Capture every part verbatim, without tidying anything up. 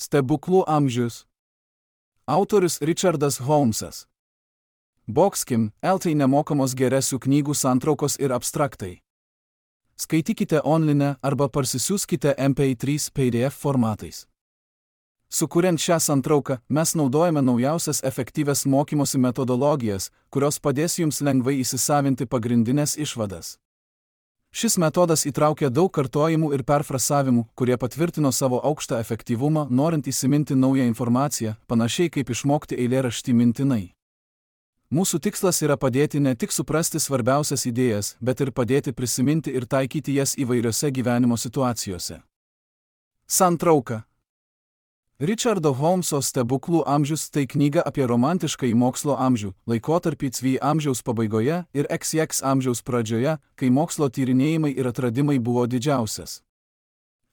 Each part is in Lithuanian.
Stebuklų amžius. Autorius Richardas Holmesas. Boxkim, L T nemokamos geresių knygų santraukos ir abstraktai. Skaitykite online arba parsisiųskite M P trys P D F formatais. Sukuriant šią santrauką, mes naudojame naujausias efektyvias mokymosi metodologijas, kurios padės jums lengvai įsisavinti pagrindinės išvadas. Šis metodas įtraukia daug kartojimų ir perfrasavimų, kurie patvirtino savo aukštą efektyvumą, norint įsiminti naują informaciją, panašiai kaip išmokti eilėraštį mintinai. Mūsų tikslas yra padėti ne tik suprasti svarbiausias idėjas, bet ir padėti prisiminti ir taikyti jas įvairiose gyvenimo situacijose. Santrauka. Richardo Holmeso Stebuklų amžius tai knyga apie romantiškąjį mokslo amžių, laikotarpį C V amžiaus pabaigoje ir X X amžiaus pradžioje, kai mokslo tyrinėjimai ir atradimai buvo didžiausias.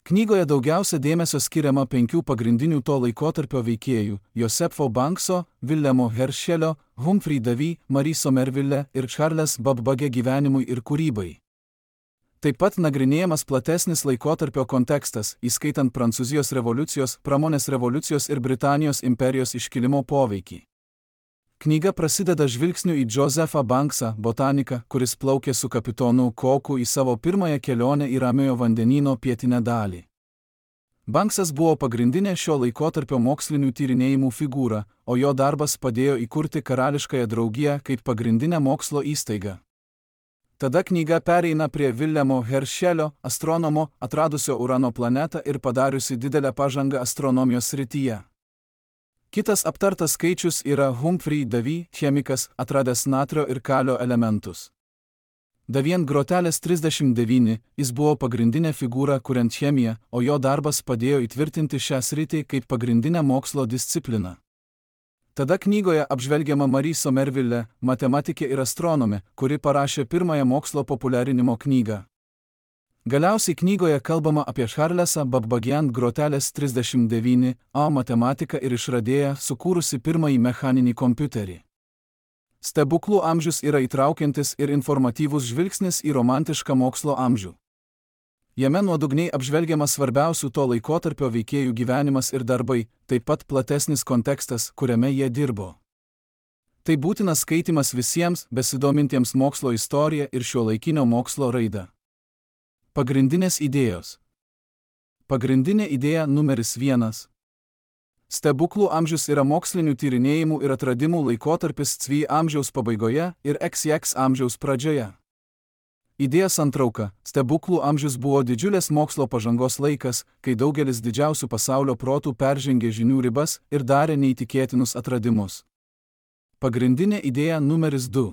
Knygoje daugiausia dėmesio skiriama penkių pagrindinių to laikotarpio veikėjų – Josepho Bankso, Willemo Herschelio, Humphrey Davy, Marie Somerville ir Charles Babbage gyvenimui ir kūrybai. Taip pat nagrinėjamas platesnis laikotarpio kontekstas, įskaitant Prancūzijos revoliucijos, pramonės revoliucijos ir Britanijos imperijos iškilimo poveikį. Knyga prasideda žvilgsniu į Josephą Banksą, botaniką, kuris plaukė su kapitonu Cooku į savo pirmąją kelionę į Ramiojo vandenyno pietinę dalį. Banksas buvo pagrindinė šio laikotarpio mokslinių tyrinėjimų figūra, o jo darbas padėjo įkurti Karališkąją draugiją kaip pagrindinę mokslo įstaigą. Tada knyga pereina prie Willemo Herschelio, astronomo, atradusio Urano planetą ir padariusi didelę pažangą astronomijos srityje. Kitas aptartas skaičius yra Humphrey Davy, chemikas, atradęs natrio ir kalio elementus. Davien grotelės trisdešimt devyni, jis buvo pagrindinė figūra kuriant chemiją, o jo darbas padėjo įtvirtinti šią sritį kaip pagrindinę mokslo discipliną. Tada knygoje apžvelgiama Marie Somerville, matematikė ir astronomė, kuri parašė pirmąją mokslo populiarinimo knygą. Galiausiai knygoje kalbama apie Charlesą Babbagę grotelės trisdešimt devyni A matematiką ir išradėją, sukūrusi pirmąjį mechaninį kompiuterį. Stebuklų amžius yra įtraukiantis ir informatyvus žvilgsnis į romantišką mokslo amžių. Jame nuodugniai apžvelgiamas svarbiausių to laikotarpio veikėjų gyvenimas ir darbai, taip pat platesnis kontekstas, kuriame jie dirbo. Tai būtinas skaitimas visiems, besidomintiems mokslo istorija ir šiuolaikinio mokslo raida. Pagrindinės idėjos. Pagrindinė idėja numeris vienas. Stebuklų amžius yra mokslinių tyrinėjimų ir atradimų laikotarpis C V amžiaus pabaigoje ir X X amžiaus pradžioje. Idėja santrauka. Stebuklų amžius buvo didžiulės mokslo pažangos laikas, kai daugelis didžiausių pasaulio protų peržengė žinių ribas ir darė neįtikėtinus atradimus. Pagrindinė idėja numeris du.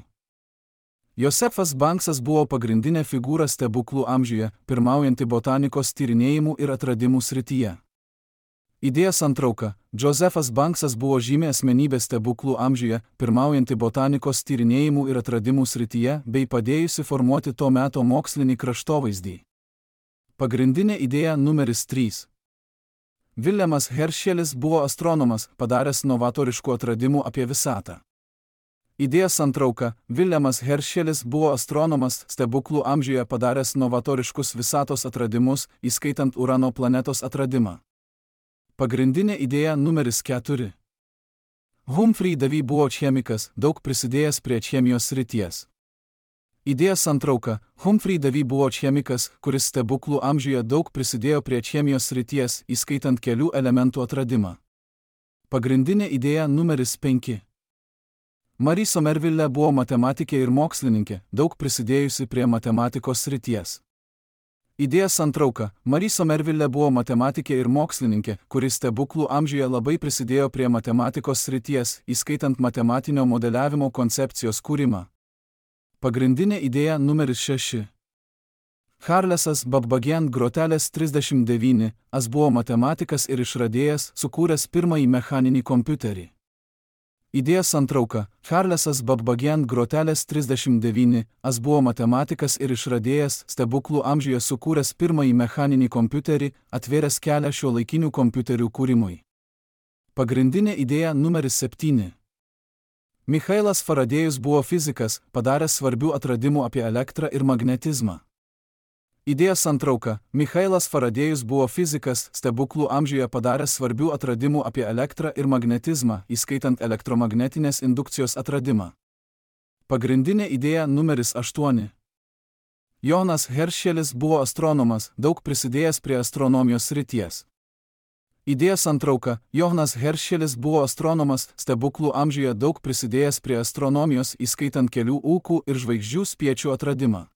Josephas Banksas buvo pagrindinė figūra stebuklų amžiuje, pirmaujanti botanikos tyrinėjimų ir atradimų srityje. Idėja santrauka. Josephas Banksas buvo žymi asmenybė stebuklų amžiuje, pirmaujanti botanikos tyrinėjimų ir atradimų srityje, bei padėjusi formuoti to meto mokslinį kraštovaizdį. Pagrindinė idėja numeris trys. Willemas Herschelis buvo astronomas, padaręs novatoriškų atradimų apie visatą. Idėja santrauka. Willemas Herschelis buvo astronomas, stebuklų amžiuje padaręs novatoriškus visatos atradimus, įskaitant Urano planetos atradimą. Pagrindinė idėja numeris keturi. Humphrey Davy buvo chemikas, daug prisidėjęs prie chemijos srities. Idėja santrauka. Humphrey Davy buvo chemikas, kuris stebuklų amžiuje daug prisidėjo prie chemijos srities, įskaitant kelių elementų atradimą. Pagrindinė idėja numeris penki. Marie Somerville buvo matematikė ir mokslininkė, daug prisidėjusi prie matematikos srities. Idėja santrauka. Marie Somerville buvo matematikė ir mokslininkė, kuris stebuklų amžiuje labai prisidėjo prie matematikos srities, įskaitant matematinio modeliavimo koncepcijos kūrimą. Pagrindinė idėja numeris šeši. Charlesas Babbagė grotelės trisdešimt devyni, as buvo matematikas ir išradėjas, sukūręs pirmąjį mechaninį kompiuterį. Idėja santrauka. Charlesas Babbagė grotelės trisdešimt devyni, as buvo matematikas ir išradėjas, stebuklų amžiuje sukūręs pirmąjį mechaninį kompiuterį, atvėręs kelią šiuolaikinių kompiuterių kūrimui. Pagrindinė idėja numeris septyni. Michailas Faradėjus buvo fizikas, padaręs svarbių atradimų apie elektrą ir magnetizmą. Idėja santrauka. Michailas Faradėjus buvo fizikas, stebuklų amžiuje padaręs svarbių atradimų apie elektrą ir magnetizmą, įskaitant elektromagnetinės indukcijos atradimą. Pagrindinė idėja numeris aštuoni. Jonas Herschelis buvo astronomas, daug prisidėjęs prie astronomijos srities. Idėja santrauka. Jonas Herschelis buvo astronomas, stebuklų amžiuje daug prisidėjęs prie astronomijos, įskaitant kelių ūkų ir žvaigždžių spiečių atradimą.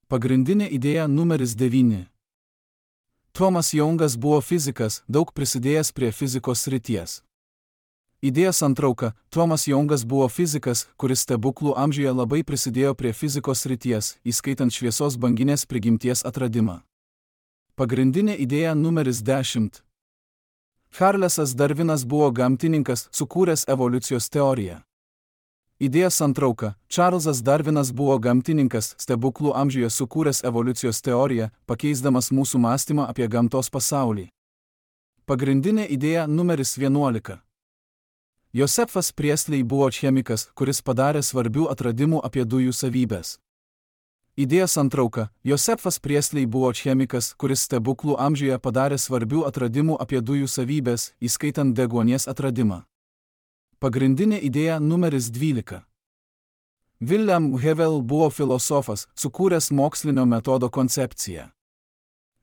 Pagrindinė idėja numeris devyni. Tomas Youngas buvo fizikas, daug prisidėjęs prie fizikos srities. Idėja santrauka. Tomas Youngas buvo fizikas, kuris stebuklų amžiuje labai prisidėjo prie fizikos srities, įskaitant šviesos banginės prigimties atradimą. Pagrindinė idėja numeris dešimt. Charlesas Darvinas buvo gamtininkas, sukūręs evoliucijos teoriją. Idėja santrauka. Čarlzas Darvinas buvo gamtininkas, stebuklų amžiuje sukūręs evoliucijos teoriją, pakeisdamas mūsų mąstymą apie gamtos pasaulį. Pagrindinė idėja numeris vienuolika. Josefas Priestley buvo chemikas, kuris padarė svarbių atradimų apie dujų savybes. Idėja santrauka. Josefas Priestley buvo chemikas, kuris stebuklų amžiuje padarė svarbių atradimų apie dujų savybes, įskaitant deguonies atradimą. Pagrindinė idėja numeris dvylika. William Whewell buvo filosofas, sukūręs mokslinio metodo koncepciją.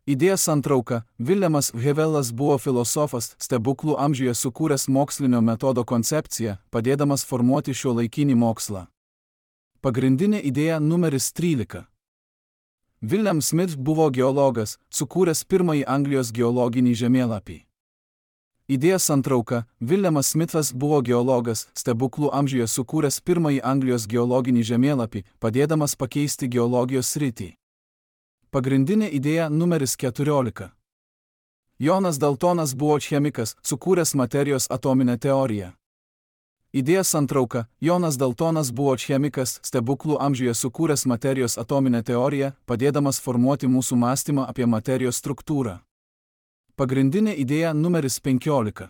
Idėja santrauka. Williamas Whewellas buvo filosofas, stebuklų amžiuje sukūręs mokslinio metodo koncepciją, padėdamas formuoti šiuolaikinį mokslą. Pagrindinė idėja numeris trylika. William Smith buvo geologas, sukūręs pirmąjį Anglijos geologinį žemėlapį. Idėja santrauka. Williamas Smithas buvo geologas, stebuklų amžiuje sukūręs pirmąjį Anglijos geologinį žemėlapį, padėdamas pakeisti geologijos sritį. Pagrindinė idėja numeris keturiolika. Jonas Daltonas buvo chemikas, sukūręs materijos atominę teoriją. Idėja santrauka. Jonas Daltonas buvo chemikas, stebuklų amžiuje sukūręs materijos atominę teoriją, padėdamas formuoti mūsų mąstymą apie materijos struktūrą. Pagrindinė idėja numeris penkiolika.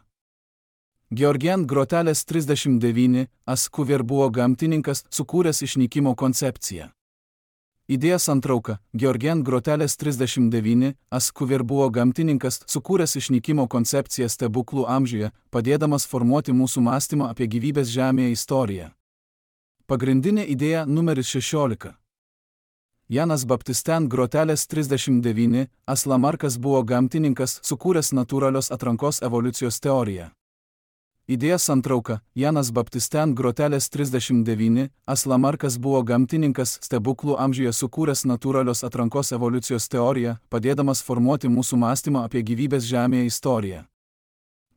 Georgian Groteles trisdešimt devyni, as Cuvier buvo gamtininkas, sukūręs išnykimo koncepciją. Idėja santrauka. Georgian Groteles trisdešimt devyni, as Cuvier buvo gamtininkas, sukūręs išnykimo koncepciją stebuklų amžiuje, padėdamas formuoti mūsų mąstymą apie gyvybės Žemėje istoriją. Pagrindinė idėja numeris šešiolika. Janas Baptisten Groteles trisdešimt devyni, as Lamarckas buvo gamtininkas, sukūręs natūralios atrankos evoliucijos teoriją. Idėja santrauka. Janas Baptisten Groteles trisdešimt devyni, as Lamarckas buvo gamtininkas, stebuklų amžiuje sukūręs natūralios atrankos evoliucijos teoriją, padėdamas formuoti mūsų mąstymą apie gyvybės Žemėje istoriją.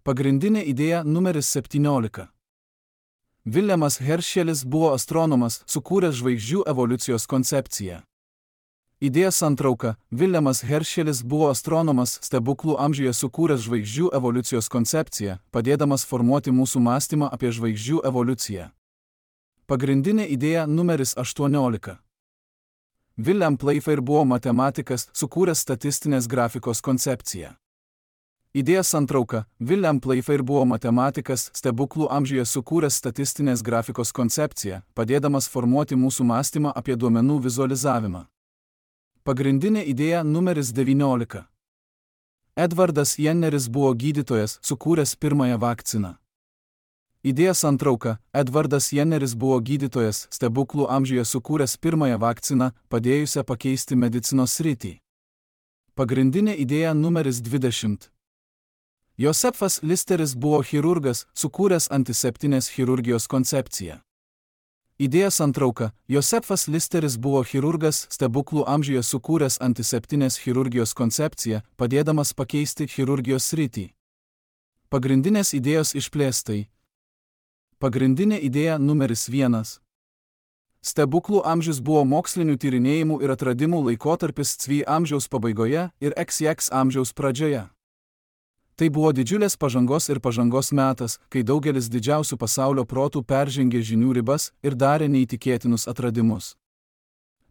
Pagrindinė idėja numeris septyniolika. Williamas Herschelis buvo astronomas, sukūręs žvaigždžių evoliucijos koncepciją. Idėja santrauka. Williamas Herschelis buvo astronomas, stebuklų amžiuje sukūręs žvaigždžių evoliucijos koncepciją, padėdamas formuoti mūsų mąstymą apie žvaigždžių evoliuciją. Pagrindinė idėja numeris aštuoniolika. William Playfair buvo matematikas, sukūręs statistinės grafikos koncepciją. Idėja santrauka. William Playfair buvo matematikas, stebuklų amžiuje sukūręs statistinės grafikos koncepciją, padėdamas formuoti mūsų mąstymą apie duomenų vizualizavimą. Pagrindinė idėja numeris devyniolika. Edvardas Jenneris buvo gydytojas, sukūręs pirmąją vakciną. Idėja santrauka. Edvardas Jenneris buvo gydytojas, stebuklų amžiuje sukūręs pirmąją vakciną, padėjusią pakeisti medicinos sritį. Pagrindinė idėja numeris dvidešimt. Josefas Listeris buvo chirurgas, sukūręs antiseptinės chirurgijos koncepciją. Idėja santrauka. Josefas Listeris buvo chirurgas, stebuklų amžiuje sukūręs antiseptinės chirurgijos koncepciją, padėdamas pakeisti chirurgijos sritį. Pagrindinės idėjos išplėstai. Pagrindinė idėja numeris vienas. Stebuklų amžius buvo mokslinių tyrinėjimų ir atradimų laikotarpis C V amžiaus pabaigoje ir X X amžiaus pradžioje. Tai buvo didžiulės pažangos ir pažangos metas, kai daugelis didžiausių pasaulio protų peržengė žinių ribas ir darė neįtikėtinus atradimus.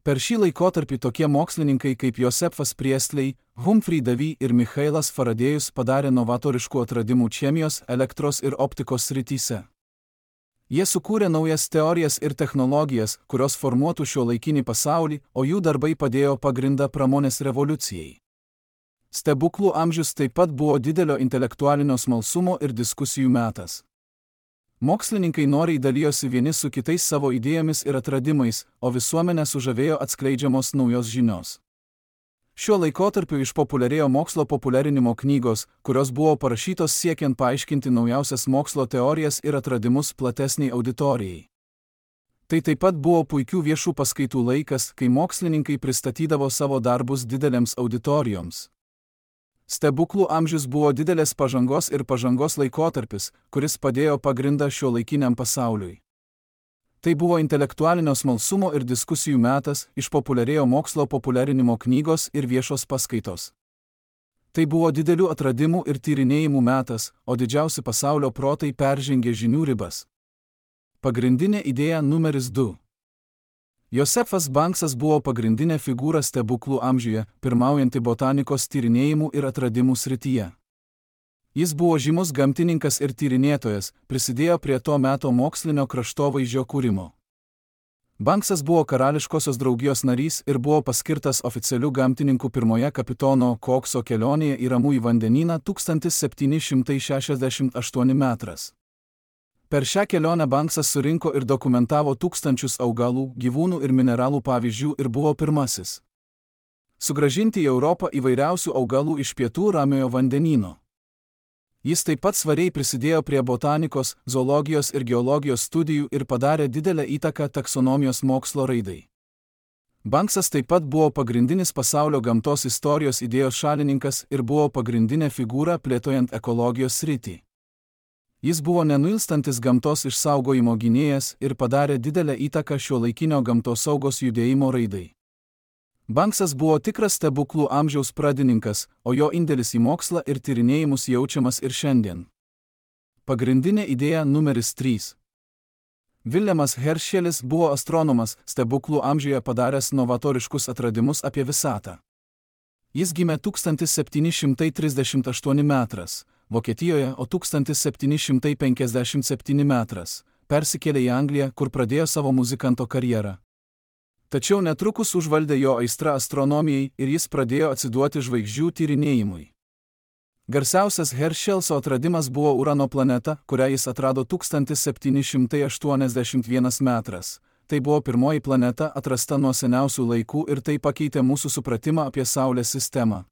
Per šį laikotarpį tokie mokslininkai kaip Josefas Priestley, Humphrey Davy ir Michailas Faradėjus padarė novatoriškų atradimų chemijos, elektros ir optikos srityse. Jie sukūrė naujas teorijas ir technologijas, kurios formuotų šiuolaikinį pasaulį, o jų darbai padėjo pagrindą pramonės revoliucijai. Stebuklų amžius taip pat buvo didelio intelektualinio smalsumo ir diskusijų metas. Mokslininkai noriai dalijosi vieni su kitais savo idėjomis ir atradimais, o visuomenę sužavėjo atskleidžiamos naujos žinios. Šiuo laikotarpiu išpopuliarėjo mokslo populiarinimo knygos, kurios buvo parašytos siekiant paaiškinti naujausias mokslo teorijas ir atradimus platesniai auditorijai. Tai taip pat buvo puikių viešų paskaitų laikas, kai mokslininkai pristatydavo savo darbus didelėms auditorijoms. Stebuklų amžius buvo didelės pažangos ir pažangos laikotarpis, kuris padėjo pagrindą šiuolaikiniam pasauliui. Tai buvo intelektualinio smalsumo ir diskusijų metas, išpopuliarėjo mokslo populiarinimo knygos ir viešos paskaitos. Tai buvo didelių atradimų ir tyrinėjimų metas, o didžiausi pasaulio protai peržengė žinių ribas. Pagrindinė idėja numeris du. Josefas Banksas buvo pagrindinė figūra stebuklų amžiuje, pirmaujanti botanikos tyrinėjimų ir atradimų srityje. Jis buvo žymus gamtininkas ir tyrinėtojas, prisidėjo prie to meto mokslinio kraštovaizdžio kūrimo. Banksas buvo karališkosios draugijos narys ir buvo paskirtas oficialiu gamtininku pirmoje kapitono Kokso kelionėje į Ramųjį vandenyną tūkstantis septyni šimtai šešiasdešimt aštuoni metrais. Per šią kelionę Banksas surinko ir dokumentavo tūkstančius augalų, gyvūnų ir mineralų pavyzdžių ir buvo pirmasis sugrąžinti į Europą įvairiausių augalų iš pietų Ramiojo vandenyno. Jis taip pat svariai prisidėjo prie botanikos, zoologijos ir geologijos studijų ir padarė didelę įtaką taksonomijos mokslo raidai. Banksas taip pat buvo pagrindinis pasaulio gamtos istorijos idėjos šalininkas ir buvo pagrindinė figūra plėtojant ekologijos sritį. Jis buvo nenuilstantis gamtos išsaugojimo gynėjas ir padarė didelę įtaką šiuolaikinio gamtosaugos judėjimo raidai. Banksas buvo tikras stebuklų amžiaus pradininkas, o jo indėlis į mokslą ir tyrinėjimus jaučiamas ir šiandien. Pagrindinė idėja numeris trys. Viljamas Heršelis buvo astronomas, stebuklų amžiuje padaręs novatoriškus atradimus apie visatą. Jis gimė tūkstantis septyni šimtai trisdešimt aštuoni metrais. Vokietijoje, o tūkstantis septyni šimtai penkiasdešimt septyni metrais, persikėlė į Angliją, kur pradėjo savo muzikanto karjerą. Tačiau netrukus užvaldė jo aistra astronomijai ir jis pradėjo atsiduoti žvaigždžių tyrinėjimui. Garsiausias Heršelso atradimas buvo Urano planeta, kurią jis atrado tūkstantis septyni šimtai aštuoniasdešimt vienas metrais. Tai buvo pirmoji planeta atrasta nuo seniausių laikų ir tai pakeitė mūsų supratimą apie Saulės sistemą.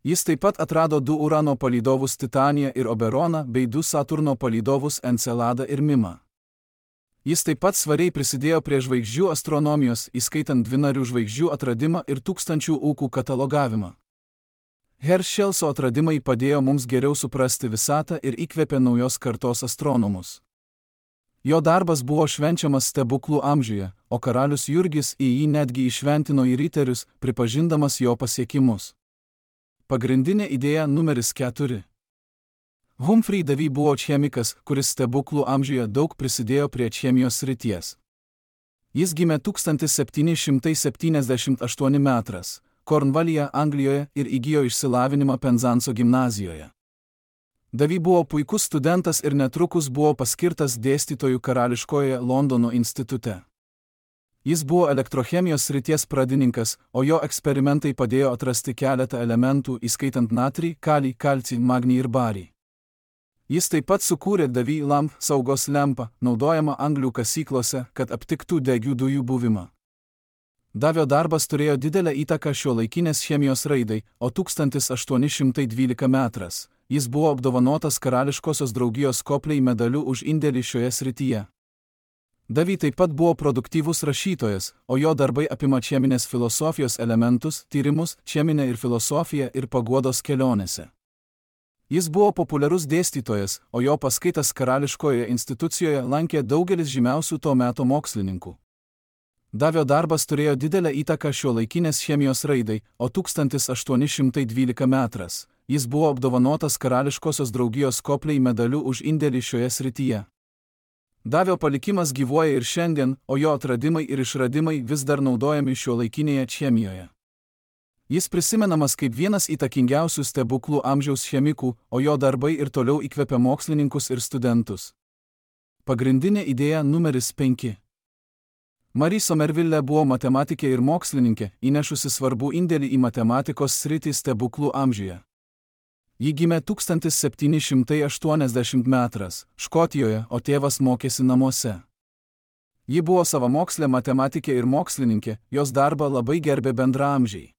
Jis taip pat atrado du Urano palydovus Titaniją ir Oberoną bei du Saturno palydovus Enceladą ir Mimą. Jis taip pat svariai prisidėjo prie žvaigždžių astronomijos, įskaitant dvinarių žvaigždžių atradimą ir tūkstančių ūkų katalogavimą. Heršelso atradimai padėjo mums geriau suprasti visatą ir įkvėpė naujos kartos astronomus. Jo darbas buvo švenčiamas stebuklų amžiuje, o karalius Jurgis į jį netgi įšventino į riterius, pripažindamas jo pasiekimus. Pagrindinė idėja numeris keturi. Humphrey Davy buvo chemikas, kuris stebuklų amžiuje daug prisidėjo prie chemijos srities. Jis gimė tūkstantis septyni šimtai septyniasdešimt aštuoni metrais, Kornvalyje, Anglijoje ir įgijo išsilavinimą Penzanso gimnazijoje. Davy buvo puikus studentas ir netrukus buvo paskirtas dėstytojų karališkoje Londono institute. Jis buvo elektrochemijos srities pradininkas, o jo eksperimentai padėjo atrasti keletą elementų, įskaitant natrį, kalį, kalcį, magnį ir barį. Jis taip pat sukūrė Davy lamp saugos lempą, naudojamą anglių kasyklose, kad aptiktų degių dujų buvimą. Davio darbas turėjo didelę įtaką šiuolaikinės chemijos raidai, o tūkstantis aštuoni šimtai dvylika metrais jis buvo apdovanotas karališkosios draugijos Copley medaliu už indėlį šioje srityje. Davy taip pat buvo produktyvus rašytojas, o jo darbai apima cheminės filosofijos elementus, tyrimus, cheminę ir filosofiją ir paguodos kelionėse. Jis buvo populiarus dėstytojas, o jo paskaitas karališkoje institucijoje lankė daugelis žymiausių to meto mokslininkų. Davio darbas turėjo didelę įtaką šiuolaikinės chemijos raidai, o tūkstantis aštuoni šimtai dvylika metrais jis buvo apdovanotas karališkosios draugijos Copley medaliu už indėlį šioje srityje. Davio palikimas gyvuoja ir šiandien, o jo atradimai ir išradimai vis dar naudojami šiuolaikinėje chemijoje. Jis prisimenamas kaip vienas įtakingiausių stebuklų amžiaus chemikų, o jo darbai ir toliau įkvepia mokslininkus ir studentus. Pagrindinė idėja numeris penki. Marie Somerville buvo matematikė ir mokslininkė, įnešusi svarbų indėlį į matematikos sritį stebuklų amžiuje. Ji gimė tūkstantis septyni šimtai aštuoniasdešimt antras Škotijoje, o tėvas mokėsi namuose. Ji buvo savamokslė matematikė ir mokslininkė, jos darbą labai gerbė bendraamžiai.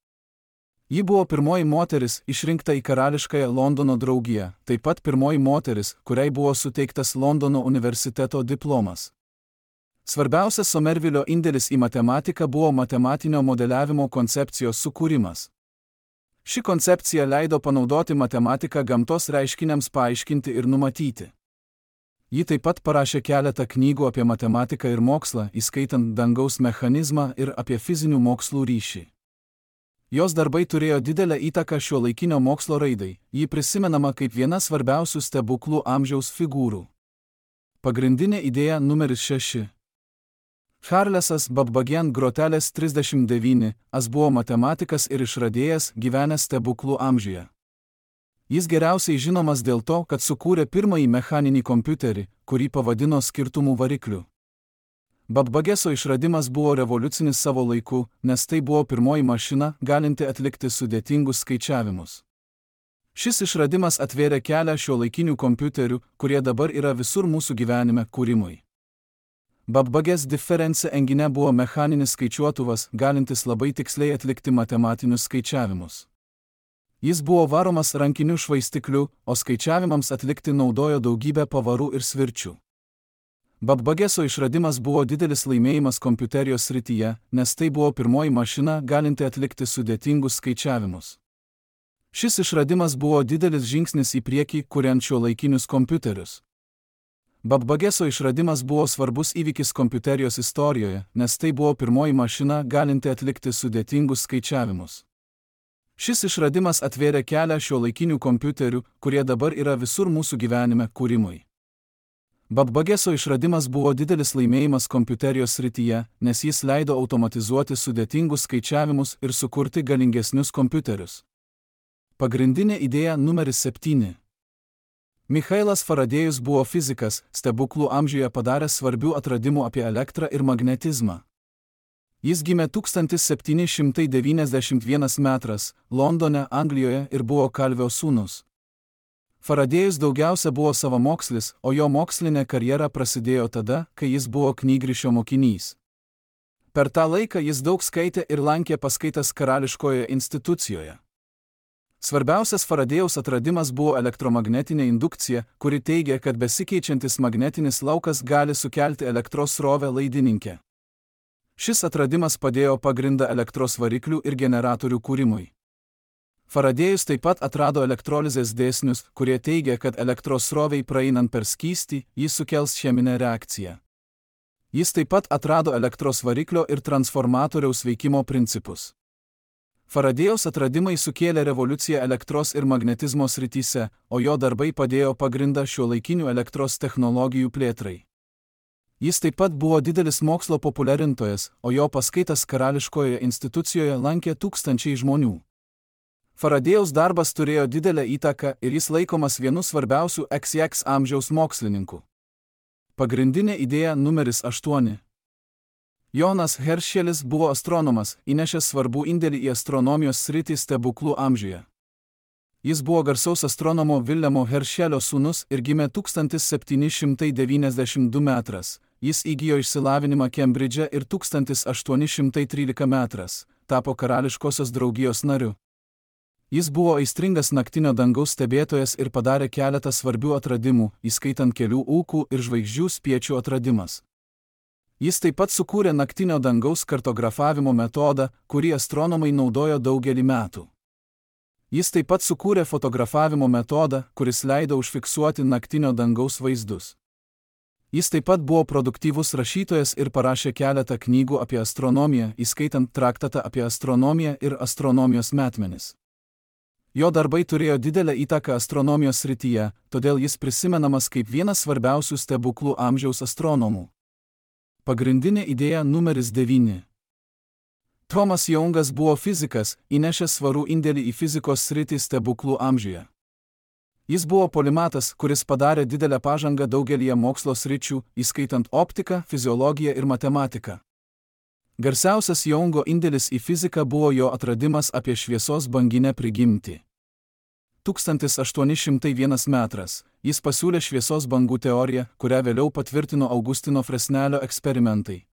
Ji buvo pirmoji moteris išrinkta į karališkąją Londono draugiją, taip pat pirmoji moteris, kuriai buvo suteiktas Londono universiteto diplomas. Svarbiausias Somervillio indėlis į matematiką buvo matematinio modeliavimo koncepcijos sukūrimas. Ši koncepcija leido panaudoti matematiką gamtos reiškiniams paaiškinti ir numatyti. Ji taip pat parašė keletą knygų apie matematiką ir mokslą, įskaitant dangaus mechanizmą ir apie fizinių mokslų ryšį. Jos darbai turėjo didelę įtaką šiuolaikinio mokslo raidai, ji prisimenama kaip viena svarbiausių stebuklų amžiaus figūrų. Pagrindinė idėja numeris šeši. Charlesas Babbage Groteles trisdešimt devyni as buvo matematikas ir išradėjas gyvenęs stebuklų amžiuje. Jis geriausiai žinomas dėl to, kad sukūrė pirmąjį mechaninį kompiuterį, kurį pavadino skirtumų varikliu. Babbageso išradimas buvo revoliucinis savo laiku, nes tai buvo pirmoji mašina, galinti atlikti sudėtingus skaičiavimus. Šis išradimas atvėrė kelią šiuolaikinių kompiuterių, kurie dabar yra visur mūsų gyvenime, kūrimui. Babbages Difference engine buvo mechaninis skaičiuotuvas, galintis labai tiksliai atlikti matematinius skaičiavimus. Jis buvo varomas rankiniu švaistikliu, o skaičiavimams atlikti naudojo daugybę pavarų ir svirčių. Babbageso išradimas buvo didelis laimėjimas kompiuterijos srityje, nes tai buvo pirmoji mašina, galinti atlikti sudėtingus skaičiavimus. Šis išradimas buvo didelis žingsnis į priekį, kuriant šiuolaikinius kompiuterius. Babbageso išradimas buvo svarbus įvykis kompiuterijos istorijoje, nes tai buvo pirmoji mašina, galinti atlikti sudėtingus skaičiavimus. Šis išradimas atvėrė kelią šiuolaikinių kompiuterių, kurie dabar yra visur mūsų gyvenime, kūrimui. Babbageso išradimas buvo didelis laimėjimas kompiuterijos srityje, nes jis leido automatizuoti sudėtingus skaičiavimus ir sukurti galingesnius kompiuterius. Pagrindinė idėja numeris septyni. Michailas Faradėjus buvo fizikas, stebuklų amžiuje padaręs svarbių atradimų apie elektrą ir magnetizmą. Jis gimė tūkstantis septyni šimtai devyniasdešimt antras metras, Londone, Anglijoje ir buvo kalvio sūnus. Faradėjus daugiausia buvo savamokslis, o jo mokslinė karjera prasidėjo tada, kai jis buvo knygrišio mokinys. Per tą laiką jis daug skaitė ir lankė paskaitas karališkoje institucijoje. Svarbiausias Faradėjaus atradimas buvo elektromagnetinė indukcija, kuri teigia, kad besikeičiantis magnetinis laukas gali sukelti elektros srovę laidininke. Šis atradimas padėjo pagrindą elektros variklių ir generatorių kūrimui. Faradėjus taip pat atrado elektrolizės dėsnius, kurie teigia, kad elektros srovei praeinant per skystį, jis sukels cheminę reakciją. Jis taip pat atrado elektros variklio ir transformatoriaus veikimo principus. Faradėjaus atradimai sukėlė revoliuciją elektros ir magnetizmo srityse, o jo darbai padėjo pagrindą šiuolaikinių elektros technologijų plėtrai. Jis taip pat buvo didelis mokslo populiarintojas, o jo paskaitas karališkoje institucijoje lankė tūkstančiai žmonių. Faradėjaus darbas turėjo didelę įtaką ir jis laikomas vienu svarbiausių iks iks amžiaus mokslininkų. Pagrindinė idėja numeris aštuoni. Jonas Herschelis buvo astronomas, įnešęs svarbų indėlį į astronomijos sritį stebuklų amžiuje. Jis buvo garsaus astronomo Vilhelmo Heršelio sūnus ir gimė tūkstantis septyni šimtai devyniasdešimt du metras. Jis įgijo išsilavinimą Kembridže ir tūkstantis aštuoni šimtai tryliktas metras, tapo karališkosios draugijos nariu. Jis buvo aistringas naktinio dangaus stebėtojas ir padarė keletą svarbių atradimų, įskaitant kelių ūkų ir žvaigždžių spiečių atradimas. Jis taip pat sukūrė naktinio dangaus kartografavimo metodą, kurį astronomai naudojo daugelį metų. Jis taip pat sukūrė fotografavimo metodą, kuris leido užfiksuoti naktinio dangaus vaizdus. Jis taip pat buvo produktyvus rašytojas ir parašė keletą knygų apie astronomiją, įskaitant traktatą apie astronomiją ir astronomijos metmenis. Jo darbai turėjo didelę įtaką astronomijos srityje, todėl jis prisimenamas kaip vienas svarbiausių stebuklų amžiaus astronomų. Pagrindinė idėja numeris devyni. Tomas Youngas buvo fizikas, įnešęs svarų indėlį į fizikos sritį stebuklų amžiuje. Jis buvo polimatas, kuris padarė didelę pažangą daugelyje mokslo sričių, įskaitant optiką, fiziologiją ir matematiką. Garsiausias Jungo indėlis į fiziką buvo jo atradimas apie šviesos banginę prigimtį. tūkstantis aštuoni šimtai vienas metras jis pasiūlė šviesos bangų teoriją, kurią vėliau patvirtino Augustino Fresnelio eksperimentai.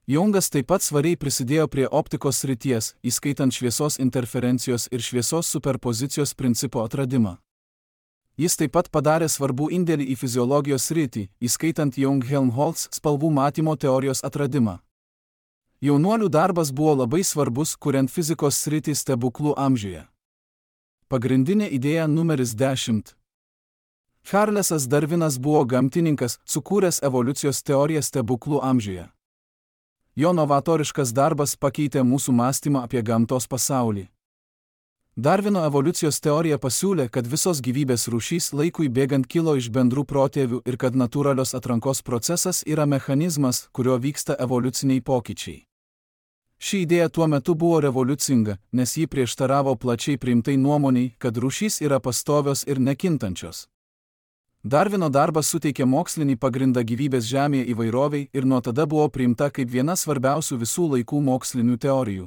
Jungas taip pat svariai prisidėjo prie optikos srities, įskaitant šviesos interferencijos ir šviesos superpozicijos principo atradimą. Jis taip pat padarė svarbų indėlį į fiziologijos sritį, įskaitant Young-Helmholtz spalvų matymo teorijos atradimą. Jaunuolių darbas buvo labai svarbus, kuriant fizikos sritį stebuklų amžiuje. Pagrindinė idėja numeris dešimt. Charlesas Darvinas buvo gamtininkas, sukūręs evoliucijos teoriją stebuklų amžiuje. Jo novatoriškas darbas pakeitė mūsų mąstymą apie gamtos pasaulį. Darvino evoliucijos teorija pasiūlė, kad visos gyvybės rūšys laikui bėgant kilo iš bendrų protėvių ir kad natūralios atrankos procesas yra mechanizmas, kurio vyksta evoliuciniai pokyčiai. Ši idėja tuo metu buvo revoliucinga, nes ji prieštaravo plačiai priimtai nuomoniai, kad rūšys yra pastovios ir nekintančios. Darvino darbas suteikė mokslinį pagrindą gyvybės Žemėje įvairoviai ir nuo tada buvo priimta kaip viena svarbiausių visų laikų mokslinių teorijų.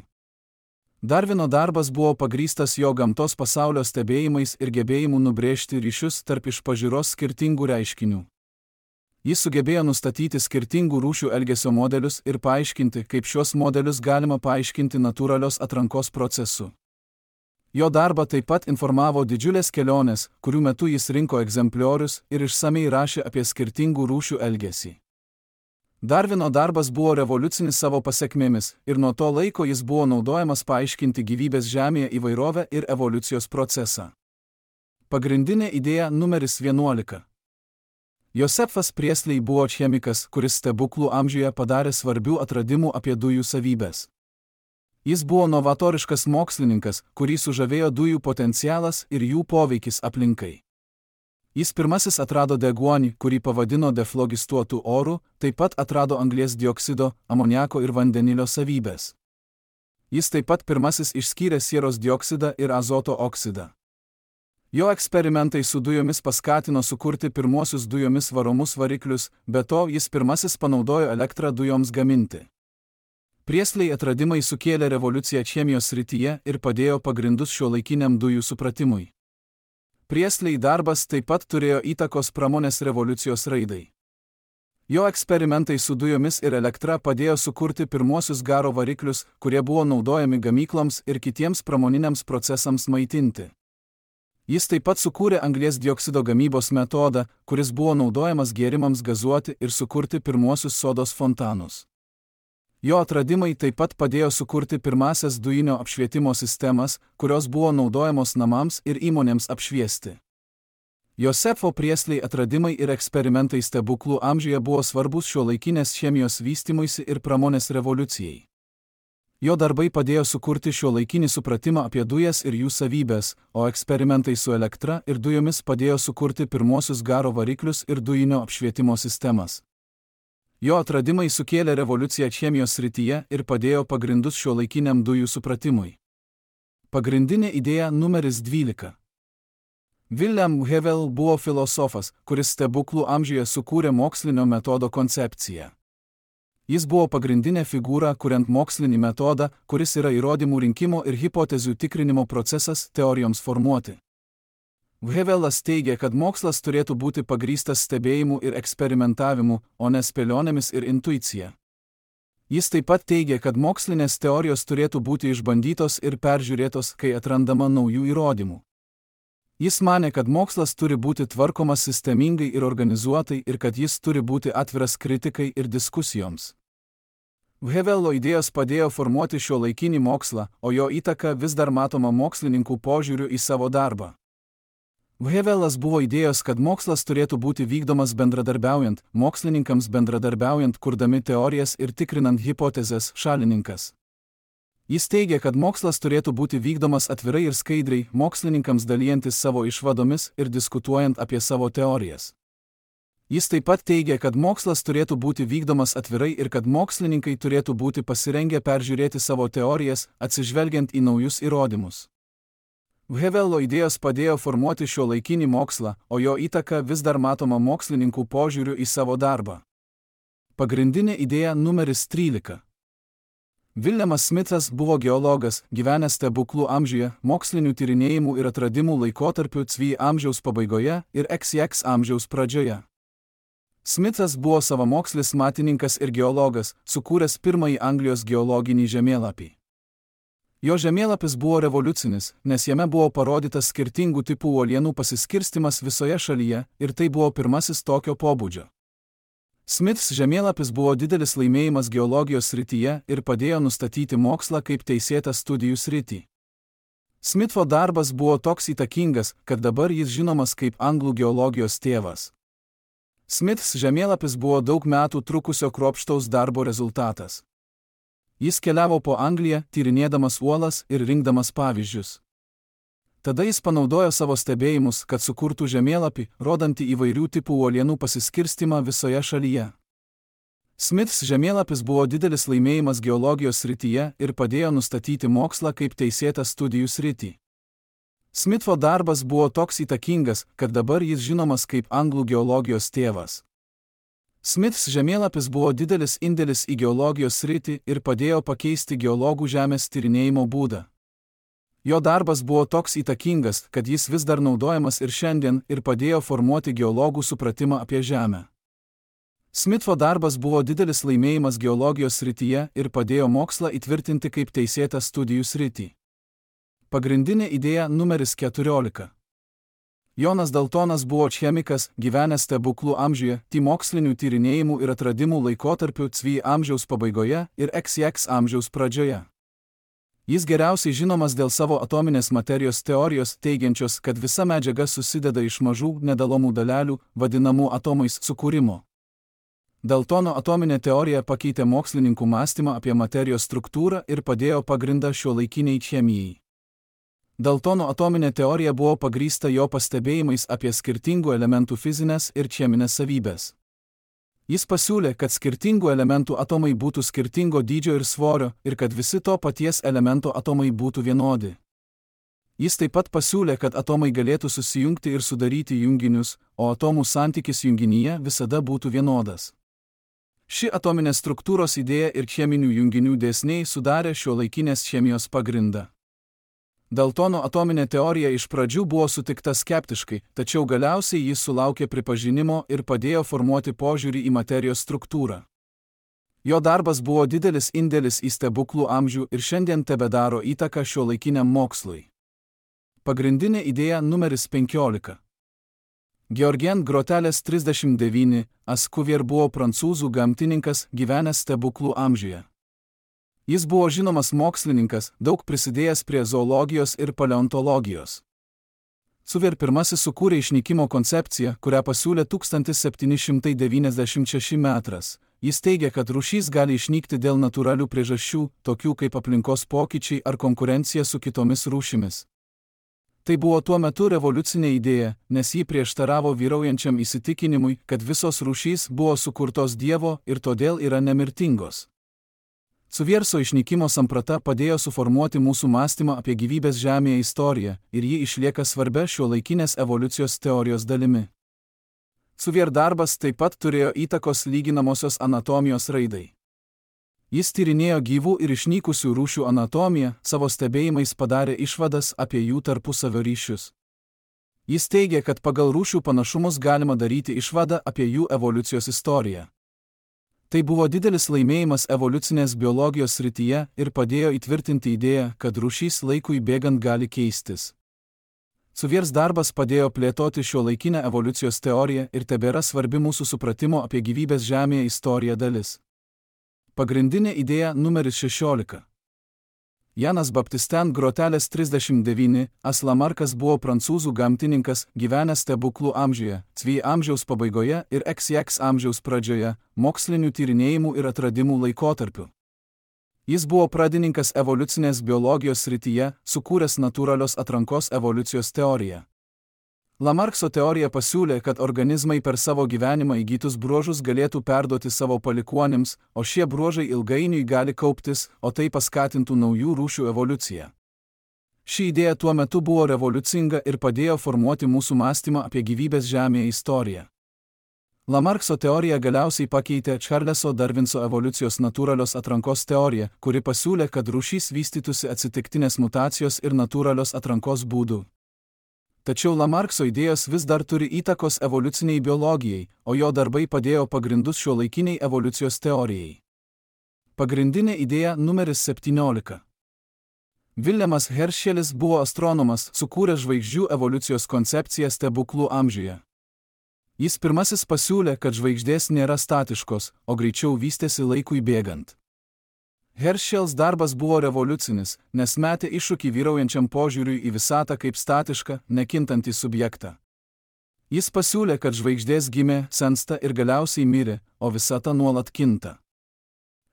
Darvino darbas buvo pagrįstas jo gamtos pasaulio stebėjimais ir gebėjimu nubrėžti ryšius tarp iš pažiūros skirtingų reiškinių. Jis sugebėjo nustatyti skirtingų rūšių elgesio modelius ir paaiškinti, kaip šios modelius galima paaiškinti natūralios atrankos procesu. Jo darbą taip pat informavo didžiulės kelionės, kurių metu jis rinko egzempliorius ir išsamei rašė apie skirtingų rūšių elgesį. Darvino darbas buvo revoliucinis savo pasekmėmis ir nuo to laiko jis buvo naudojamas paaiškinti gyvybės Žemėje įvairovę ir evoliucijos procesą. Pagrindinė idėja numeris vienuolika. Josefas Priestley buvo chemikas, kuris stebuklų amžiuje padarė svarbių atradimų apie dujų savybes. Jis buvo novatoriškas mokslininkas, kurį sužavėjo dujų potencialas ir jų poveikis aplinkai. Jis pirmasis atrado deguonį, kurį pavadino deflogistuotų orų, taip pat atrado anglies dioksido, amoniako ir vandenilio savybės. Jis taip pat pirmasis išskyrė sieros dioksidą ir azoto oksidą. Jo eksperimentai su dujomis paskatino sukurti pirmuosius dujomis varomus variklius, be to jis pirmasis panaudojo elektrą dujoms gaminti. Priestley atradimai sukėlė revoliuciją chemijos srityje ir padėjo pagrindus šiuolaikiniam dujų supratimui. Priestley darbas taip pat turėjo įtakos pramonės revoliucijos raidai. Jo eksperimentai su dujomis ir elektra padėjo sukurti pirmuosius garo variklius, kurie buvo naudojami gamykloms ir kitiems pramoniniams procesams maitinti. Jis taip pat sukūrė anglies dioksido gamybos metodą, kuris buvo naudojamas gėrimams gazuoti ir sukurti pirmuosius sodos fontanus. Jo atradimai taip pat padėjo sukurti pirmąsias dujinio apšvietimo sistemas, kurios buvo naudojamos namams ir įmonėms apšviesti. Josefo Priestley atradimai ir eksperimentai stebuklų amžiuje buvo svarbus šiuolaikinės chemijos vystymuisi ir pramonės revoliucijai. Jo darbai padėjo sukurti šiuolaikinį supratimą apie dujas ir jų savybės, o eksperimentai su elektra ir dujomis padėjo sukurti pirmuosius garo variklius ir dujinio apšvietimo sistemas. Jo atradimai sukėlė revoliuciją chemijos srityje ir padėjo pagrindus šiuolaikiniam dujų supratimui. Pagrindinė idėja numeris dvylika. William Hevel buvo filosofas, kuris stebuklų amžiuje sukūrė mokslinio metodo koncepciją. Jis buvo pagrindinė figūra, kuriant mokslinį metodą, kuris yra įrodymų rinkimo ir hipotezių tikrinimo procesas teorijoms formuoti. Hevelas teigia, kad mokslas turėtų būti pagrįstas stebėjimu ir eksperimentavimu, o ne spėlionėmis ir intuicija. Jis taip pat teigia, kad mokslinės teorijos turėtų būti išbandytos ir peržiūrėtos, kai atrandama naujų įrodymų. Jis manė, kad mokslas turi būti tvarkomas sistemingai ir organizuotai ir kad jis turi būti atviras kritikai ir diskusijoms. Hevelo idėjos padėjo formuoti šiuolaikinį mokslą, o jo įtaka vis dar matoma mokslininkų požiūriu į savo darbą. Hevelas buvo idėjos, kad mokslas turėtų būti vykdomas bendradarbiaujant, mokslininkams bendradarbiaujant, kurdami teorijas ir tikrinant hipotezes, šalininkas. Jis teigia, kad mokslas turėtų būti vykdomas atvirai ir skaidriai, mokslininkams dalijantis savo išvadomis ir diskutuojant apie savo teorijas. Jis taip pat teigia, kad mokslas turėtų būti vykdomas atvirai ir kad mokslininkai turėtų būti pasirengę peržiūrėti savo teorijas, atsižvelgiant į naujus įrodymus. Vevelo idėjos padėjo formuoti šiuolaikinį mokslą, o jo įtaka vis dar matoma mokslininkų požiūriu į savo darbą. Pagrindinė idėja numeris trylika. Viljamas Smithas buvo geologas, gyvenęs stebuklų amžiuje, mokslinių tyrinėjimų ir atradimų laikotarpiu C V amžiaus pabaigoje ir X X amžiaus pradžioje. Smithas buvo savamokslis matininkas ir geologas, sukūręs pirmąjį Anglijos geologinį žemėlapį. Jo žemėlapis buvo revoliucinis, nes jame buvo parodytas skirtingų tipų uolienų pasiskirstimas visoje šalyje ir tai buvo pirmasis tokio pobūdžio. Smiths žemėlapis buvo didelis laimėjimas geologijos srityje ir padėjo nustatyti mokslą kaip teisėtą studijų sritį. Smitho darbas buvo toks įtakingas, kad dabar jis žinomas kaip anglų geologijos tėvas. Smiths žemėlapis buvo daug metų trukusio kruopštaus darbo rezultatas. Jis keliavo po Angliją, tyrinėdamas uolas ir rinkdamas pavyzdžius. Tada jis panaudojo savo stebėjimus, kad sukurtų žemėlapį, rodantį įvairių tipų uolienų pasiskirstimą visoje šalyje. Smiths žemėlapis buvo didelis laimėjimas geologijos srityje ir padėjo nustatyti mokslą kaip teisėtą studijų sritį. Smitho darbas buvo toks įtakingas, kad dabar jis žinomas kaip anglų geologijos tėvas. Smiths žemėlapis buvo didelis indėlis į geologijos sritį ir padėjo pakeisti geologų žemės tyrinėjimo būdą. Jo darbas buvo toks įtakingas, kad jis vis dar naudojamas ir šiandien ir padėjo formuoti geologų supratimą apie Žemę. Smitho darbas buvo didelis laimėjimas geologijos srityje ir padėjo mokslą įtvirtinti kaip teisėtą studijų sritį. Pagrindinė idėja numeris keturiolika. Jonas Daltonas buvo chemikas, gyvenęs stebuklų amžiuje, T mokslinių tyrinėjimų ir atradimų laikotarpiu C V amžiaus pabaigoje ir X X amžiaus pradžioje. Jis geriausiai žinomas dėl savo atominės materijos teorijos, teigiančios, kad visa medžiaga susideda iš mažų, nedalomų dalelių, vadinamų atomais, sukūrimo. Daltono atominė teorija pakeitė mokslininkų mąstymą apie materijos struktūrą ir padėjo pagrindą šiuolaikiniai chemijai. Daltono atominė teorija buvo pagrįsta jo pastebėjimais apie skirtingų elementų fizinės ir cheminės savybės. Jis pasiūlė, kad skirtingų elementų atomai būtų skirtingo dydžio ir svorio ir kad visi to paties elemento atomai būtų vienodi. Jis taip pat pasiūlė, kad atomai galėtų susijungti ir sudaryti junginius, o atomų santykis junginyje visada būtų vienodas. Ši atominės struktūros idėja ir cheminių junginių dėsniai sudarė šiuolaikinės chemijos pagrindą. Daltono atominė teorija iš pradžių buvo sutikta skeptiškai, tačiau galiausiai jis sulaukė pripažinimo ir padėjo formuoti požiūrį į materijos struktūrą. Jo darbas buvo didelis indėlis į stebuklų amžių ir šiandien tebedaro įtaką šiuolaikiniam mokslui. Pagrindinė idėja numeris penkiolika. Georgien Groteles trisdešimt devyni, Ascuvier buvo prancūzų gamtininkas, gyvenęs stebuklų amžiuje. Jis buvo žinomas mokslininkas, daug prisidėjęs prie zoologijos ir paleontologijos. Cuvier pirmasis sukūrė išnykimo koncepciją, kurią pasiūlė tūkstantis septyni šimtai devyniasdešimt šeši metras. Jis teigia, kad rūšys gali išnykti dėl natūralių priežasčių, tokių kaip aplinkos pokyčiai ar konkurencija su kitomis rūšimis. Tai buvo tuo metu revoliucinė idėja, nes ji prieštaravo vyraujančiam įsitikinimui, kad visos rūšys buvo sukurtos Dievo ir todėl yra nemirtingos. Cuvierso išnykimo samprata padėjo suformuoti mūsų mąstymą apie gyvybės Žemėje istoriją ir ji išlieka svarbia šiuolaikinės evoliucijos teorijos dalimi. Cuvier darbas taip pat turėjo įtakos lyginamosios anatomijos raidai. Jis tyrinėjo gyvų ir išnykusių rūšių anatomiją, savo stebėjimais padarė išvadas apie jų tarpusavio ryšius. Jis teigė, kad pagal rūšių panašumus galima daryti išvadą apie jų evoliucijos istoriją. Tai buvo didelis laimėjimas evoliucinės biologijos srityje ir padėjo įtvirtinti idėją, kad rūšys laikui bėgant gali keistis. Cuviers darbas padėjo plėtoti šiuolaikinę evoliucijos teoriją ir tebėra svarbi mūsų supratimo apie gyvybės Žemėje istoriją dalis. Pagrindinė idėja numeris šešiolika. Janas Baptisten Groteles trisdešimt devyni, As Lamarcas buvo prancūzų gamtininkas, gyvenęs stebuklų amžiuje, C V amžiaus pabaigoje ir X X amžiaus pradžioje, mokslinių tyrinėjimų ir atradimų laikotarpiu. Jis buvo pradininkas evoliucinės biologijos srityje, sukūręs natūralios atrankos evoliucijos teoriją. Lamarckso teorija pasiūlė, kad organizmai per savo gyvenimą įgytus bruožus galėtų perduoti savo palikuonims, o šie bruožai ilgainiui gali kauptis, o tai paskatintų naujų rūšių evoliuciją. Ši idėja tuo metu buvo revoliucinga ir padėjo formuoti mūsų mąstymą apie gyvybės Žemėje istoriją. Lamarkso teorija galiausiai pakeitė Charleso Darvinso evoliucijos natūralios atrankos teoriją, kuri pasiūlė, kad rūšys vystytųsi atsitiktinės mutacijos ir natūralios atrankos būdų. Tačiau Lamarkso idėjos vis dar turi įtakos evoliuciniai biologijai, o jo darbai padėjo pagrindus šiuolaikiniai evoliucijos teorijai. Pagrindinė idėja numeris septyniolika. Viljamas Heršelis buvo astronomas, sukūręs žvaigždžių evoliucijos koncepciją stebuklų amžiuje. Jis pirmasis pasiūlė, kad žvaigždės nėra statiškos, o greičiau vystėsi laikui bėgant. Heršels darbas buvo revoliucinis, nes metė iššūkį vyraujančiam požiūriui į visatą kaip statišką, nekintantį subjektą. Jis pasiūlė, kad žvaigždės gimė, sensta ir galiausiai mirė, o visata nuolat kinta.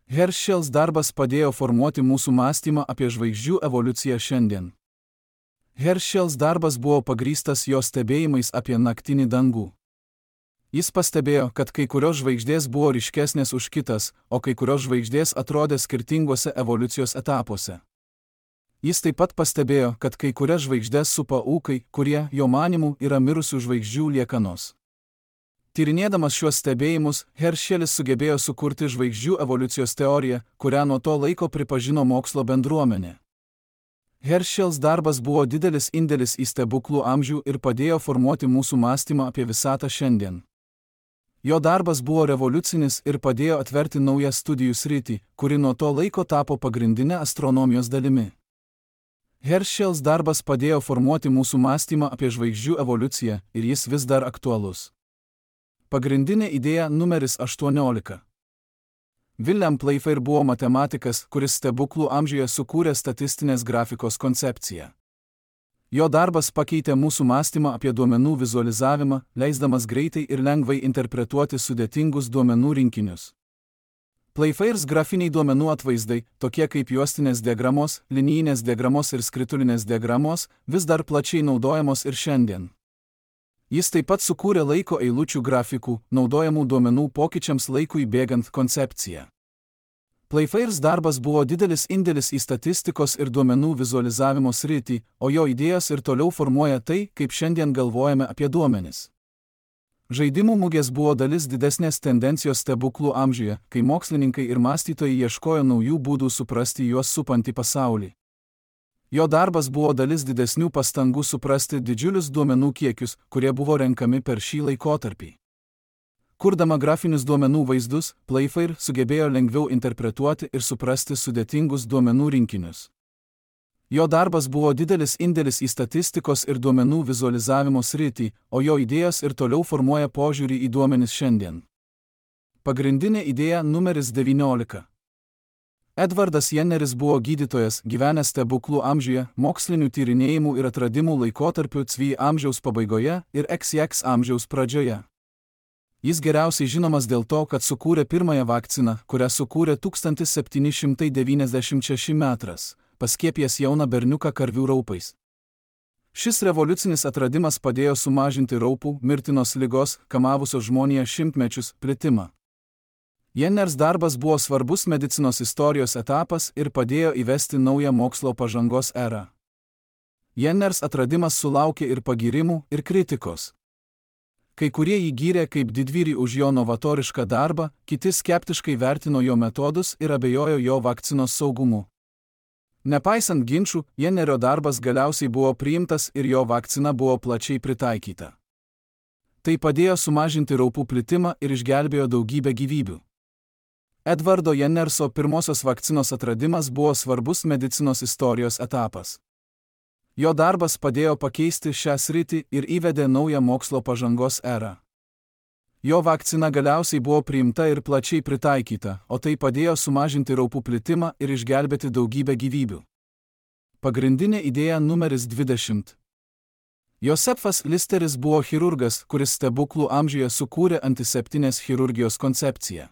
Heršels darbas padėjo formuoti mūsų mąstymą apie žvaigždžių evoliuciją šiandien. Heršels darbas buvo pagrįstas jo stebėjimais apie naktinį dangų. Jis pastebėjo, kad kai kurios žvaigždės buvo ryškesnės už kitas, o kai kurios žvaigždės atrodė skirtinguose evoliucijos etapuose. Jis taip pat pastebėjo, kad kai kurias žvaigždės supa ūkai, kurie, jo manymu, yra mirusių žvaigždžių liekanos. Tyrinėdamas šiuos stebėjimus, Heršelis sugebėjo sukurti žvaigždžių evoliucijos teoriją, kurią nuo to laiko pripažino mokslo bendruomenė. Heršels darbas buvo didelis indėlis į stebuklų amžių ir padėjo formuoti mūsų mąstymą apie visatą šiandien. Jo darbas buvo revoliucinis ir padėjo atverti naują studijų sritį, kuri nuo to laiko tapo pagrindinė astronomijos dalimi. Heršels darbas padėjo formuoti mūsų mąstymą apie žvaigždžių evoliuciją ir jis vis dar aktualus. Pagrindinė idėja numeris aštuoniolika. William Playfair buvo matematikas, kuris stebuklų amžiuje sukūrė statistinės grafikos koncepciją. Jo darbas pakeitė mūsų mąstymą apie duomenų vizualizavimą, leisdamas greitai ir lengvai interpretuoti sudėtingus duomenų rinkinius. Playfairs grafiniai duomenų atvaizdai, tokie kaip juostinės diagramos, linijinės diagramos ir skritulinės diagramos, vis dar plačiai naudojamos ir šiandien. Jis taip pat sukūrė laiko eilučių grafikų, naudojamų duomenų pokyčiams laikui bėgant koncepciją. Playfairs darbas buvo didelis indėlis į statistikos ir duomenų vizualizavimo sritį, o jo idėjos ir toliau formuoja tai, kaip šiandien galvojame apie duomenis. Žaidimų mugės buvo dalis didesnės tendencijos stebuklų amžiuje, kai mokslininkai ir mąstytojai ieškojo naujų būdų suprasti juos supantį pasaulį. Jo darbas buvo dalis didesnių pastangų suprasti didžiulius duomenų kiekius, kurie buvo renkami per šį laikotarpį. Kurdama grafinius duomenų vaizdus, Playfair sugebėjo lengviau interpretuoti ir suprasti sudėtingus duomenų rinkinius. Jo darbas buvo didelis indėlis į statistikos ir duomenų vizualizavimo sritį, o jo idėjos ir toliau formuoja požiūrį į duomenis šiandien. Pagrindinė idėja numeris devyniolika. Edvardas Jenneris buvo gydytojas, gyvenęs stebuklų amžiuje, mokslinių tyrinėjimų ir atradimų laikotarpiu C V amžiaus pabaigoje ir X X amžiaus pradžioje. Jis geriausiai žinomas dėl to, kad sukūrė pirmąją vakciną, kurią sukūrė tūkstantis septyni šimtai devyniasdešimt šeši metrais, paskiepijęs jauną berniuką karvių raupais. Šis revoliucinis atradimas padėjo sumažinti raupų, mirtinos ligos, kamavusios žmoniją šimtmečius, plitimą. Jenners darbas buvo svarbus medicinos istorijos etapas ir padėjo įvesti naują mokslo pažangos erą. Jenners atradimas sulaukė ir pagyrimų, ir kritikos. Kai kurie jį gyrė kaip didvyrį už jo novatorišką darbą, kiti skeptiškai vertino jo metodus ir abejojo jo vakcinos saugumu. Nepaisant ginčų, Jennerio darbas galiausiai buvo priimtas ir jo vakcina buvo plačiai pritaikyta. Tai padėjo sumažinti raupų plitimą ir išgelbėjo daugybę gyvybių. Edvardo Jennerso pirmosios vakcinos atradimas buvo svarbus medicinos istorijos etapas. Jo darbas padėjo pakeisti šią sritį ir įvedė naują mokslo pažangos erą. Jo vakcina galiausiai buvo priimta ir plačiai pritaikyta, o tai padėjo sumažinti raupų plitimą ir išgelbėti daugybę gyvybių. Pagrindinė idėja numeris dvidešimt. Josefas Listeris buvo chirurgas, kuris stebuklų amžiuje sukūrė antiseptinės chirurgijos koncepciją.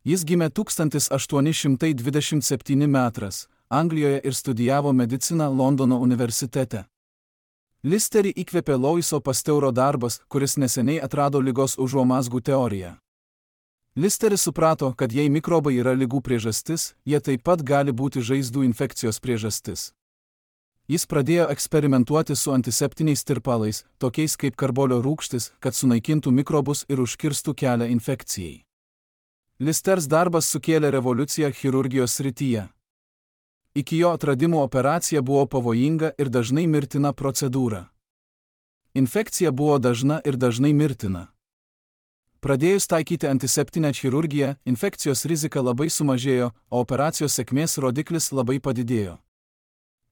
Jis gimė tūkstantis aštuoni šimtai dvidešimt septintais metais Anglijoje ir studijavo mediciną Londono universitete. Listerį įkvėpė Louiso Pasteuro darbas, kuris neseniai atrado ligos užuomazgų teoriją. Listeris suprato, kad jei mikrobai yra ligų priežastis, jie taip pat gali būti žaizdų infekcijos priežastis. Jis pradėjo eksperimentuoti su antiseptiniais tirpalais, tokiais kaip karbolio rūgštis, kad sunaikintų mikrobus ir užkirstų kelią infekcijai. Listers darbas sukėlė revoliuciją chirurgijos srityje. Iki jo atradimo operacija buvo pavojinga ir dažnai mirtina procedūra. Infekcija buvo dažna ir dažnai mirtina. Pradėjus taikyti antiseptinę chirurgiją, infekcijos rizika labai sumažėjo, o operacijos sėkmės rodiklis labai padidėjo.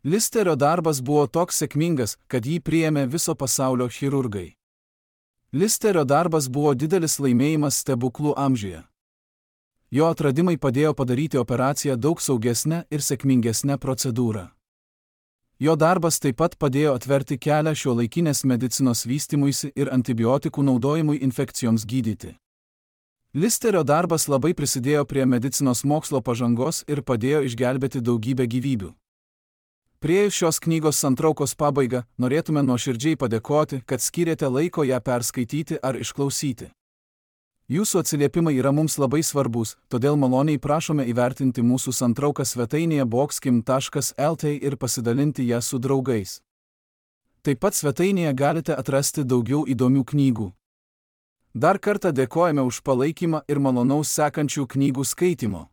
Listerio darbas buvo toks sėkmingas, kad jį priėmė viso pasaulio chirurgai. Listerio darbas buvo didelis laimėjimas stebuklų amžiuje. Jo atradimai padėjo padaryti operaciją daug saugesnę ir sėkmingesnę procedūrą. Jo darbas taip pat padėjo atverti kelią šiuolaikinės medicinos vystymuisi ir antibiotikų naudojimui infekcijoms gydyti. Listerio darbas labai prisidėjo prie medicinos mokslo pažangos ir padėjo išgelbėti daugybę gyvybių. Priėjus šios knygos santraukos pabaigą, norėtume nuoširdžiai padėkoti, kad skyrėte laiko ją perskaityti ar išklausyti. Jūsų atsiliepimai yra mums labai svarbus, todėl maloniai prašome įvertinti mūsų santrauką svetainėje boxkim taškas lt ir pasidalinti ją su draugais. Taip pat svetainėje galite atrasti daugiau įdomių knygų. Dar kartą dėkojame už palaikymą ir malonaus sekančių knygų skaitimo.